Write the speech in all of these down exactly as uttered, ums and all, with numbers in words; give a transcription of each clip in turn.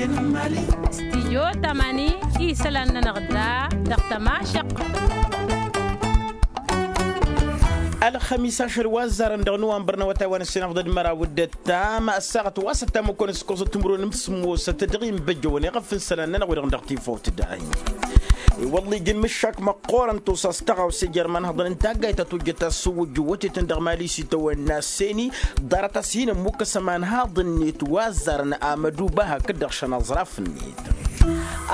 Stijyo tamani isălan-nănăɣ da dăɣ-tămašăq. Ălxămis ašăl wa ăzzarăn dăɣ-năwănbăr n-awătay wa n-ǝssin afḍăd măraw d-ăttam ăssaɣăt wa s-ăttam ǝkkoăn s-kosăt timǝrwen n-sǝmmosăt dăɣ-inbăjjăwăn iɣăf n-isălan-nănăɣ wi-dăɣ n-dăɣ-tifawt da-in. I-wălla ija n-mǝššak măqqoorăn tosa s-tăɣawse jer-imanhăḍăn n-taggayt ta tojjăt asǝwwǝjjǝw wătetăn dăɣ-mali s-itawănna seni. Ḍarăt-as hin-ămmukkăs ămanhaḍ-net wa ăzzarăn amăduba hakd-dăɣ šăn aẓraf-net.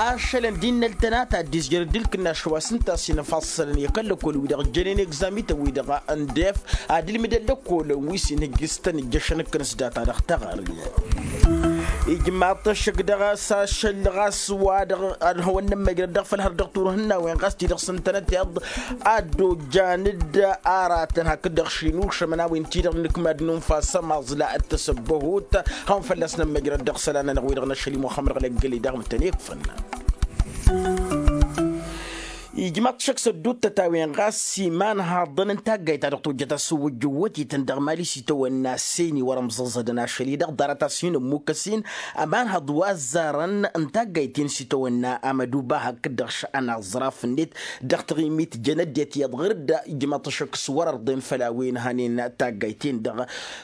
Ašălăn d-innăl tănat ad-dd-izjăr dd-ǝlkǝnnaš wa s-ǝnta a-s inăfassălăn i-kăl-lăkkol-wi-dăɣ ǝjjănen egzamităn-wi-dăɣ n-def ad-ǝlmǝdăn lăkkolăn wi s-inhǝjjǝstăn ǝjjăšăn ǝkkǝn s-data dăɣ-taɣări. Ijmaḍ-t ăššăk dăɣ-s ašăl ɣas wa-dăɣ ad-hawăn-nămmăjrăd dăɣ-făll-hărăt dăɣ-turhǝnnawen ɣas ti-dăɣ s-ǝntănăteḍ ad-dd-ojjan d-aratăn hakd-dăɣ šinušămăn a-wen-ti-dăɣ n-inǝkmad n-unfa s-ămaẓla d-tasăbbăhut. Hawăn-fălla-s nămmăjrăd dăɣ-isălan-nănăɣ-wi-dăɣ n-ašăl i-muxămmăd ɣǝlăggăle daɣ mǝtăn-ikfăn. Ijmaḍ-t šăkk s-ădduuttăt a-wen ɣas imanhaḍăn n-taggayt ta dăɣ-tojjăt asǝwwǝjjǝw wătetăn dăɣ-mali s-itawănna seni wăr-ămẓăẓădăn ašăl-i-dăɣ ḍarăt-as hin-ămmukkăs-in ămanhăḍ wa ăzzarăn n-taggayt-in s-itawănna amăduba hakd-dăɣ šăn aẓraf-net. Dăɣ-taɣimit jăn ăddinăt iyyăḍ ɣǝr-dd ijmaḍ-t šăkk s-wăr-ărḍen făll-a-wen hanen taggayt-in-dăɣ.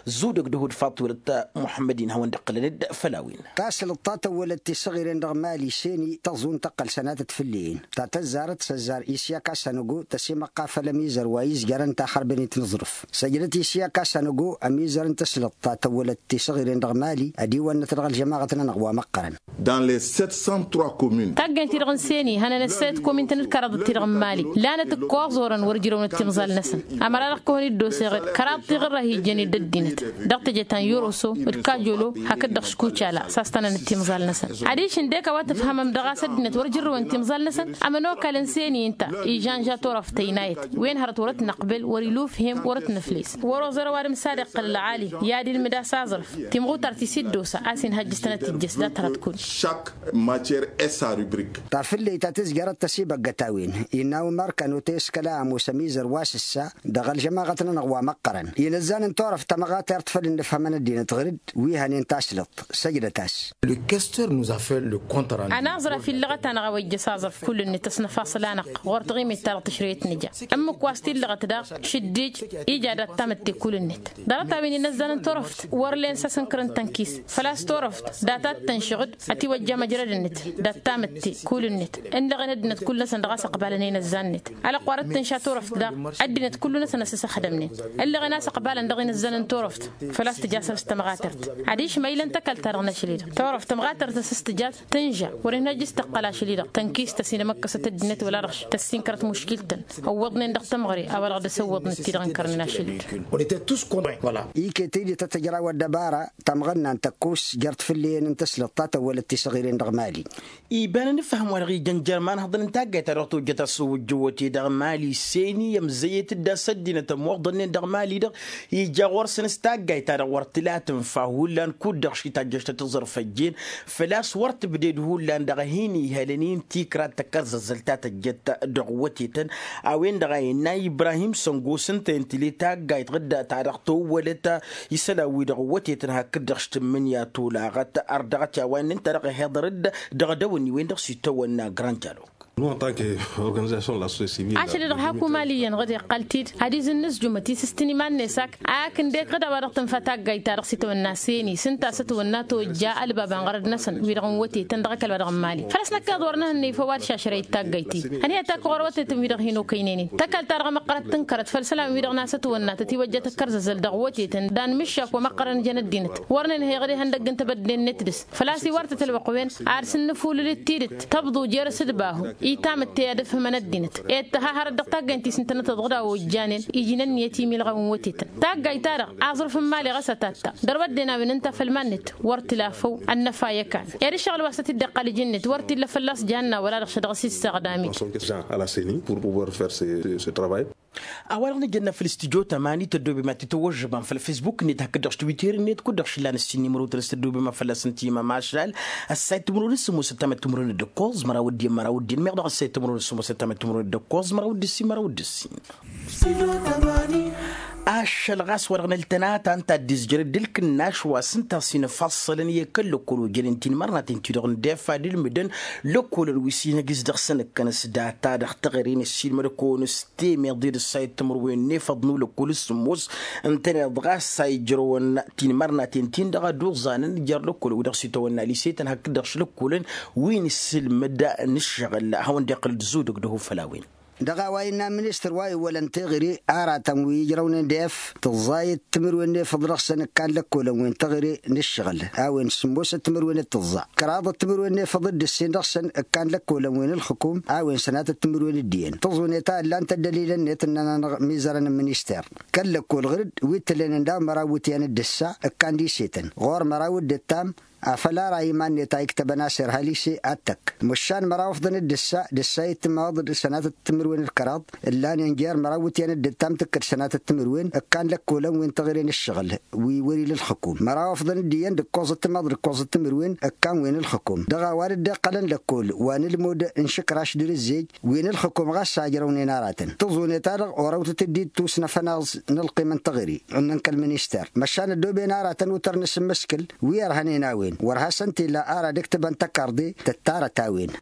Zudăg d-ehud faḍt wăr-dd muḥămmăd-in hawăn-dd-ǝqqǝlăn-dd făll-a-wen. Tasǝlǝḍt ta tăwwălăt tisăɣiren dăɣ-mali seni tăẓun tăqqăl sănatăt fǝllen ta tăzzarăt s-ăzzar isyak a-s ănăgo tăsimăqqa făll-ămizăr wa izjărăn taxărbănit n-aẓrǝf. Săjdăt isyak a-s ănăgo ămizăr n-tasǝlǝḍt ta tăwwălăt tisăɣiren dăɣ-mali ădiwănnăt dăɣ-ălžămaɣăt-nănăɣ wa măqqărăn. Dans les sept cent trois communes. Taggayt-ti-dăɣ n-seni hănănăt săyăt komin-tăn d-kăraḍăt-ti-dăɣ n-mali lanăt ǝkkoẓ orăn wăr-ǝjrăwnăt timẓal-năsăn. Ămăra-dăɣ kăwăn-dd-oseɣ d-kăraḍ tiɣǝrra hi-ijjăn i-dd-ăddinăt dăɣ-teje ta n-yoroso d-kajolo hakd-dăɣ skucala. S-a-s tănănăt timẓal-năsăn adiš ǝndek a-wa tǝfhămăm dăɣ-a-s ăddinăt wăr-ǝjrăwăn timẓal-năsăn. Ămănokal n-seni ǝnta ižănža turăft tăynayăt wen hărăt wăr-ătnăqbel wăr-ilufhem wăr-ătnăfles. Wăr-oẓărăw ad-imsadăqqăl ălɣali i-ad-ilmǝd a-s aẓrǝf timɣutar ti s-dd-osa a-s inhăjjǝs tănăt-ijjăs dat-hărăt kull. Chaque matière est sa rubrique. Tafǝlleyt ta tǝzjărăt tăsibăggăt a-wen innă umar kănote s-kăla ămoos ămizăr wa s-ǝssa dăɣ-ălžămaɣăt-nănăɣ wa măqqărăn inăzzan n-turăft tămɣatert făll-ǝnnǝfhămăn ăddinăt ɣǝr-dd wi hănen tasǝlăḍt. Săjdăt-as. Anaẓraf illăɣăt-anăɣ a-wa ijjăs aẓrǝf kull-net ăsnăfasăl-anăɣ ɣur-taɣimit-ta-dăɣ tǝšrăyăt nǝja. Ǝmmǝk wa s-t-illăɣăt daɣ šǝddij ija dat-tamǝtte kull-net. Ḍarăt-a-wen inăzzan n-turăft wăr len s-asǝnkăr n-tănkis făl-a-s turăft data d-tănšăɣ-dd ătiwăjja măjrăd-net dat-tamǝtte kull-net. Ǝnlăɣen ăddinăt kull-năsăn dăɣ-a-s ăqbalăn inăzzan-net. Ălăqwar d-tǝnša turăft daɣ ăddinăt kullu-năsăn ăsǝsăxdămnen. Ǝllăɣen a-s ăqbalăn dăɣ-inǝzzan n-turăft făl-a-s tǝja săr-s tămɣatărt. Adiš ma ila n-tăkalt-ta-dăɣ n-ašăl-i-dăɣ turăft tămɣatărt a-s s-tǝja tǝnža wăr-inhăjj s-tăqqăl ašăl-i-dăɣ tănkist tăsinămăkkăsăt ăddinăt wăla-dăɣ tăssinkărăt muškil-tăn. Ăwwăḍnen dăɣ-tămɣăre a-wa-dăɣ dăr-s ăwwăḍnet ti-dăɣ ǝnkărnen ašăl-i-dăɣ. Iket-i d-tăt-ǝjraw ăddăbara tamɣănna n-tăkkus jer-tfǝlliyen n-tăslăḍt ta tăwwălăt tisăɣiren dăɣ-mali. Iba n-anǝfhăm wa-dăɣ ijăn jer-imanhăḍăn n-taggayt ta dăɣ-tojjăt asǝwwǝjjǝwăt-i-dăɣ mali seni ămzăyăt-dd a-s ăddinăt ămmuḍănnen dăɣ-mali-dăɣ. Ija ɣur-săn s-taggayt ta dăɣ-wăr tǝla tǝnfa hullan kud-dăɣ šitayyăš tăt-iẓrǝf ăjjeen făl-a-s wăr tǝbded hullan dăɣ-hin-ihălăn-in tikrad tăkkărzăzzăl ta tăjjăt dăɣ-wătetăn. A-wen-dăɣ a innă ibrahim săngo s-ǝnta i-ǝntǝle taggayt ɣǝdda ta dăɣ-tăwwălăt isălan-wi-dăɣ wătetăn hakd-dăɣ s-tǝmmǝnǝya tolaɣăt ărdăɣăt i-a-wa inn'-ǝnta-dăɣ ehăḍăr-dd dăɣ-dăwăn-i-wen-dăɣ s-itawănna grand dialog. Nous en tant que organisation de la société civile. Ašăl-i-dăɣ hak umali iyyăn ɣǝd iqqăl-t-dd ad-izǝnnǝzjumăt isǝstǝn iman-net ak akǝndek ɣǝd a-wa-dăɣ tǝnfa taggayt-ta-dăɣ s-itawănna seni s-ǝnta a-s ătwănna tojja ălbab anɣărăd-năsăn wi-dăɣ n-wătetăn dăɣ-ăkall-wa-dăɣ n-mali. Făl-a-s năkk iḍ wăr nǝhǝnnǝy făw ad-šašrăyăt taggayt-in ănhăyăt akk ɣur-wătetăn wi-dăɣ hin-okăynăynen tăkalt-ta-dăɣ măqqărăt tǝnkărăt făll-isălan-wi-dăɣ n-a-s ătwănna tătiwăjja tăkkărzăzăl dăɣ-wătetăn d-anmǝššak wa măqqărăn jăn ăddinăt. Wăr nǝnhăy ɣǝd ihăndăgg n-tebădde-net dăɣ-s făl-a-s iwar tăt-ălwăqq-wen ad-sǝnnǝfulǝl d-tidǝt tăbḍu jer-asǝdbahu. I-tamǝtte i-ad-ǝfhǝmăn ăddinăt ed tăha hărăt dăɣ-taggayt n-ti s-ǝntănăteḍ ɣǝd a ojjanen iji n-ǝnniyăt imilɣawen wătetăn. Taggayt-ta-dăɣ aẓrǝf n-imali ɣas ătatta. Dăr-wădden a-wen ǝnta făll-iman-net wăr tǝla făw ănnăfa i-ăkan. Ed ǝššăɣǝl wa s-tăt-dd-iqqăl iji-net wăr t-illa fălla-s janna wăla-dăɣ šădăɣ s-issaɣdam-dd. A-wa-dăɣ nǝjănna făll-studyo tămani tăddobem ad-t-tăwwăžžăbăm făll-facebook-net hakd-dăɣ s-twitter-net kud-dăɣ šǝllan ǝssin n-imrotăn s-tăddobem ad-fălla-s ǝntǝyǝm ămašal. Ăssayăt timǝrwen s-sǝmmosăt tamăt timǝrwen d-ǝkkoẓ măraw d-iyyăn măraw d-inmăyăɣ dăɣ-ăssayăt timǝrwen s-sǝmmosăt tamăt timǝrwen d-ǝkkoẓ măraw d-ǝssin măraw d-ǝssin. Ašăl ɣas wa-dăɣ n-ăltănata ǝnta a dd-izjăr d-ǝlkǝnnaš wa s-ǝnta a-s infassălăn i-kăl-lăkkol ojănen tinmărnaten-ti-dăɣ n-defa d-ǝlmǝdăn lăkkolăn wi s-inhăjǝs dăɣ-săn ǝkkăn s-data dăɣ-teɣăre n-ăssiilmăd-kăwăn s-temeḍe d-ǝssayăt timǝrwen n-efăḍ n-ulăkkol s-sǝmmos. Ǝntăneḍ ɣas a ijrăwăn tinmărnaten-tin-dăɣ ad-uẓanăn jer-lăkkol wi-dăɣ s-itawănna lisetăn hakd-dăɣ šlăkkolăn wi n-ǝssǝlmǝd n-ǝššăɣǝl a hawăn-dd-iqqǝl d-zudǝg d-ehufăl a-wen. Dăɣ-a-wa innă ministăr wa iwwălăn teɣăre aratăn wi ijrăwnen d-ef tǝẓẓayăt timǝrwen n-efăḍ dăɣ-săn ǝkkan lăkkolăn wi n-teɣăre n-ǝššăɣǝl a-wen sǝmmosăt timǝrwen d-tǝẓẓa kăraḍăt timǝrwen n-efăḍ d-ǝssin dăɣ-săn ǝkkan lăkkolăn wi n-ǝlxǝkum a-wen sănatăt timǝrwen d-iyyăn tǝẓunet a ǝllan-t ăddălilăn-net ǝnnăn-anăɣ imizărăn n-minister kăl-lăkkol ɣǝr-dd wi t-tǝllen ǝnda măraw iwǝtyan d-ǝssa ǝkkan d-isetăn ɣur-măraw d-ǝttam afăl ara iman-net a iktăbăn a-s irha lise ad-tăkk măšan măraw ǝfḍăn d-ǝssa d-ǝssa itmaḍ d-sănatăt timǝrwen d-kăraḍ ǝllanen jer-măraw iwǝtyan d-ǝttam tǝkkăd sănatăt timǝrwen ǝkkan lăkkolăn wi n-teɣăre n-ǝššăɣǝl wi wăr-ila ǝlxǝkum măraw ǝfḍăn d-iyyăn d-ǝkkoẓăt timaḍ d-ǝkkoẓăt timǝrwen ǝkkan wi n-ǝlxǝkum dăɣ-a-wa dd-iqqălăn lăkkol wa n-ǝlmud n-išǝkraš d-irǝzzej wi n-ǝlxǝkum ɣas a ǝjrăwnen aratăn tǝẓune-ta-dăɣ orăwtăt-dd-ittus n-afănaẓ n-ălqim n-teɣăre ǝnnăn kăl-minister măšan ăddooben aratăn wǝtăr n-asǝmmǝskǝl wi ărhănen a-wen wăr hasăn-t-ila ara dd-ǝktǝbăn tăkarḍe tǝttarăt a-wen.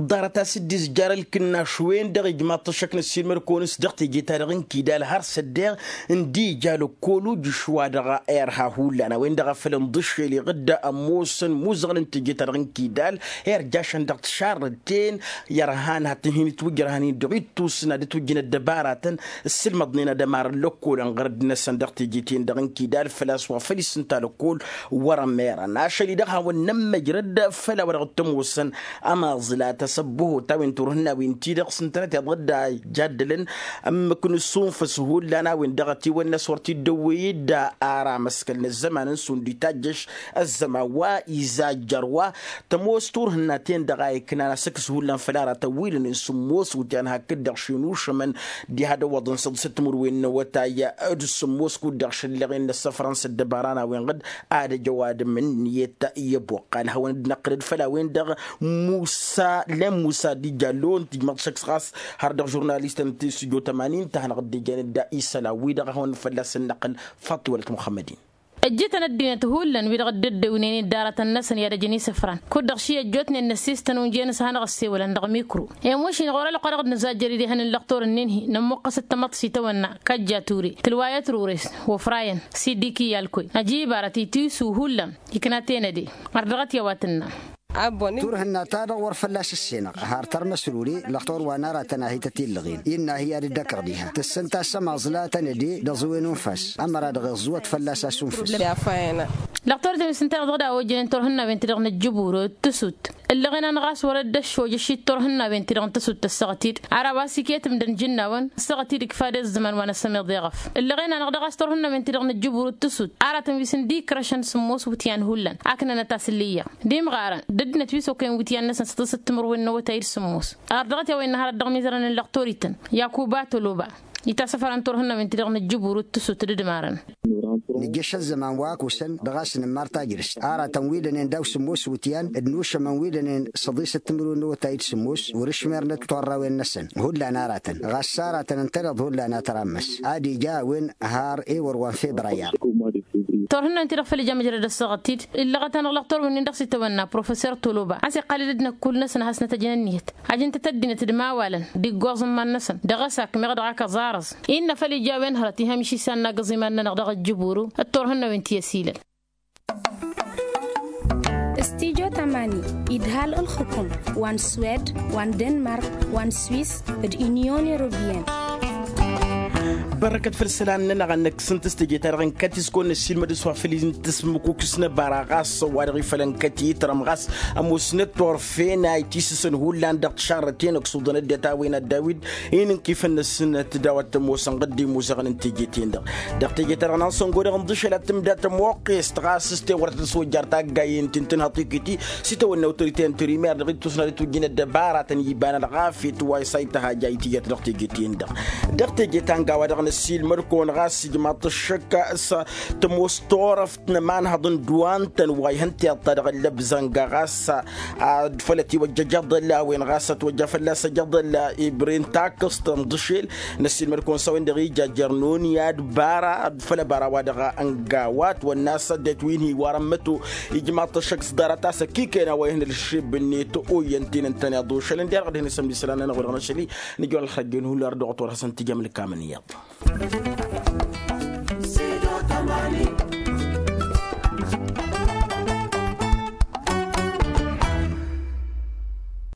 Ḍarăt a-s dd-izjar ǝlkǝnnaš-wen-dăɣ ijmaḍ-t ăššăk n-ăssiilmăd-kăwăn s-dăɣ teje-ta-dăɣ n-kidal har s-ăddeɣ ǝndi ija lăkkol ujǝš wa dăɣ-irha hullan a-wen-dăɣ a făl ǝnḍǝššel iɣǝdda ămoosăn imuzăɣăn n-teje-ta-dăɣ n-kidal irjašăn dăɣ-tišarrăten i-ărhan hat-tǝnhǝyăn itwǝjj ărhan-in dăɣ-ittus n-ad-ǝtwǝjjăn ăddăbaratăn ǝssǝlmăḍnen ad-ămarăn lăkkolăn ɣărăd-năsăn dăɣ-teje-ten-dăɣ n-kidal făl-a-s wa făl-issǝnta lăkkol wăr-ămerăn ašăl-i-dăɣ hawăn-nămmăjrăd făll-a-wa dăɣ-t-ămoosăn ămaẓla tasăbbăhot a-wen turhǝnnawen-ti-dăɣ s-ǝntănăt iḍădda ijaddălăn ǝmmǝk n-asunfăs hullan a-wen dăɣ-ătiwănna s-wăr t-dd-ăwwey-dd ara amăskăl n-ăzzăman n-sund itajjăš ăzzăman wa izajjăr wa tămoos turhǝnna-ten-dăɣ a iknan asăkkǝs hullan făll-aratăn wi lănen sǝmmos wǝtyan hakd-dăɣ šin ušămăn diha d-ăwwăḍăn săḍisăt timǝrwen n-awătay d-sǝmmos kud-dăɣ šăllăɣen n-ăssăfrăn s-ăddăbara n-a-wen ɣǝd ad-ăj ăwadǝm ǝnniyăt i-ăboqqal hawăn-dd-năqqǝlăd făll-a-wen-dăɣ musa len musa d-ija lon tǝjmăḍ šăkk ɣas har dăɣ-žurnalistăn n-tisijo tămanin ta hanăɣ-dd-ejăn dd-isălan-wi-dăɣ a hawăn-fălla-săn năqqǝl faḍt i-wălăt muxămmăd-in. Ăjjǝtăn ăddinăt hullan wi-dăɣ dd-ăddăwnen i-ăddaratăn-năsăn i-ad-ăjăn isǝfran kud-dăɣ ši ăjjootnen n-ăssistăn unjăyăn s-ad-hanăɣ-ăssewălăn dăɣ-mikru i-mušin ɣur-ălwăqq a dăɣ-dd-nǝzajjăr idehăn n-lăqtor-ǝnnin-hi nămmuqqăsăt tamăḍt s-itawănna kăjja ture tǝlwayăt rures wăfrayăn sidiki i-alkoy ăjibarăt itǝyǝsu hullan iknaten ădee. Ar dăɣ-t i-a-wa tǝnnăm. Turhǝnna-ta-dăɣ wăr fălla-s ǝssenăɣ har tărmăs rure lăqtor wa n-aratăn a hi-tăt-illăɣen innă hi-ad-dd-ăkăɣ diha tǝssǝnta s-ămaẓla tăn-ădee d-aẓǝwen unfas ămăra dăɣ-iẓẓǝwăt fălla-s asunfǝs. Lăqtor-ten wi s-ǝnta-dăɣ dăɣ-da ojănen turhǝnnawen-ti-dăɣ n-ǝjjǝbur tǝsut ǝllăɣen-anăɣ a-s wăr dd-ăššojăš i-turhǝnnawen-ti-dăɣ n-tǝsut tăssăɣăt-dd ar a-wa s-iket ǝmdăn ijǝnnawăn ăssăɣăt-dd ikfa d-ăzzăman wa n-asămeḍ iɣăf ǝllăɣen-anăɣ daɣ a-s turhǝnnawen-ti-dăɣ n-ǝjjǝbur d-tǝsut aratăn wi s-ǝndi ikrăšăn sǝmmos iwǝtyan hullan a ǝknănăt asǝllǝyya d-imɣarăn d-ăddinăt wi s-okăyăn iwǝtyan-năsăn săḍisăt timǝrwen n-awătay d-sǝmmos. Ar dăɣ-t i-a-wa innă hărăt dăɣ-imizărăn n-lăqtor-ităn yakuba toloba itasăfărăn turhǝnnawen-ti-dăɣ n-ǝjjǝbur d-tǝsut d-ǝdmarăn. Nǝjjăš ăzzăman wa ăkusăn dăɣ-a-s nǝmmar tajrǝst aratăn wi dănen daw-sǝmmos iwǝtyan d-inušămăn wi dănen săḍisăt timǝrwen n-awătay d-sǝmmos wăr-ǝšmerăn d-torrawen-năsăn hullan aratăn ɣas s-aratăn ǝntăneḍ hullan a tărammăs ad-ija a-wen har ewăr wa n-febrayar. Turhǝnnawen-ti-dăɣ făl ija măjrăd ăssaɣăt-t-dd illăɣăt-anăɣ lăqtor-wǝnnin dăɣ-s itawănna professor toloba a-s iqqal-dd d-năkk kull-năsăn ad-hasnăt ăjnăn ǝnniyăt ajǝn-tăt ăddinăt d-imawalăn d-iggoẓ n-iman-năsăn dăɣ-asakm iɣ dăɣ-ak ăẓarăẓ innă făl ija a-wen hărăt ihămšisăn n-agǝẓ iman-nănăɣ dăɣ-ăjjǝburu d-turhǝnnawen ti ăsilăl. Studyo tămani idhal ǝlxǝkum wa n-swed wa n-denmark wa n-swis d-unyon europeyăn. Bărrăkăt făll-isălan-nănăɣ a năkkǝsăn tăstăje-ta-dăɣ n-kăt-iskon n-ăssiilmăd s-wa făll-intǝsmǝkukǝs n-ăbara ɣas ăwadăɣ ifălăn kăt-itrăm ɣas ămoosnăt turfen a itisǝsăn hullan dăɣ-tišarrăten ăksuḍăn ăddinăt a-wen ad-dawid inǝnkifăn-năsnăt daw-ad-t-ămoosăn ɣǝdda imuzăɣăn n-teje-ten-dăɣ dăɣ-teje-ta-dăɣ n-ansăngo dăɣ-inḍǝšăl ad-tǝmda tămoqqest ɣas s-tewăr tăt-ăswăjjar taggayent ti n-tǝnhăḍ tikǝti s-itawănna awtorite n-trimăr dăɣ-ittusna d-itwǝjjǝn ăddăbaratăn iba n-ălɣafyăt wa s-a ităhaj a itǝjăt dăɣ-teje-ten-dăɣ. Dăɣ-teje ta n-gawa-dăɣ Năsiilmăd-kăwăn ɣas ijmaḍ-t ăššăk s-tămoos turăft n-ămanhăḍ n-dd-wa ǝntăn wa ihăn tiḍt-ta-dăɣ ăllăbzănga ɣas ad-făl ătiwăjja ijăḍălla a-wen ɣas ătwăjja fălla-s ijăḍălla ibre n-takǝst n-iḍǝšel. Năsiilmăd-kăwăn s-a-wen-dăɣ ija jer-noni ad-bara făll-ăbara wa dăɣ-ănga wa ătwănna a-s ăddinăt wi n-hi-iwarăn măto ijmaḍ-t ăššăk s-ḍarăt a-s ăkikăyăn a-wa ihăn ălšeb-net. Oyyăn-t-in ǝntăneḍ ošăl ǝnde-dăɣ ad-hin-isămmisăl anăn a-wen-dăɣ n-ašăl-i nǝjwăl ălxăjjăn hullan dăɣ-ătwăr hasăn-t-ija amǝlǝk amǝnǝyăḍ.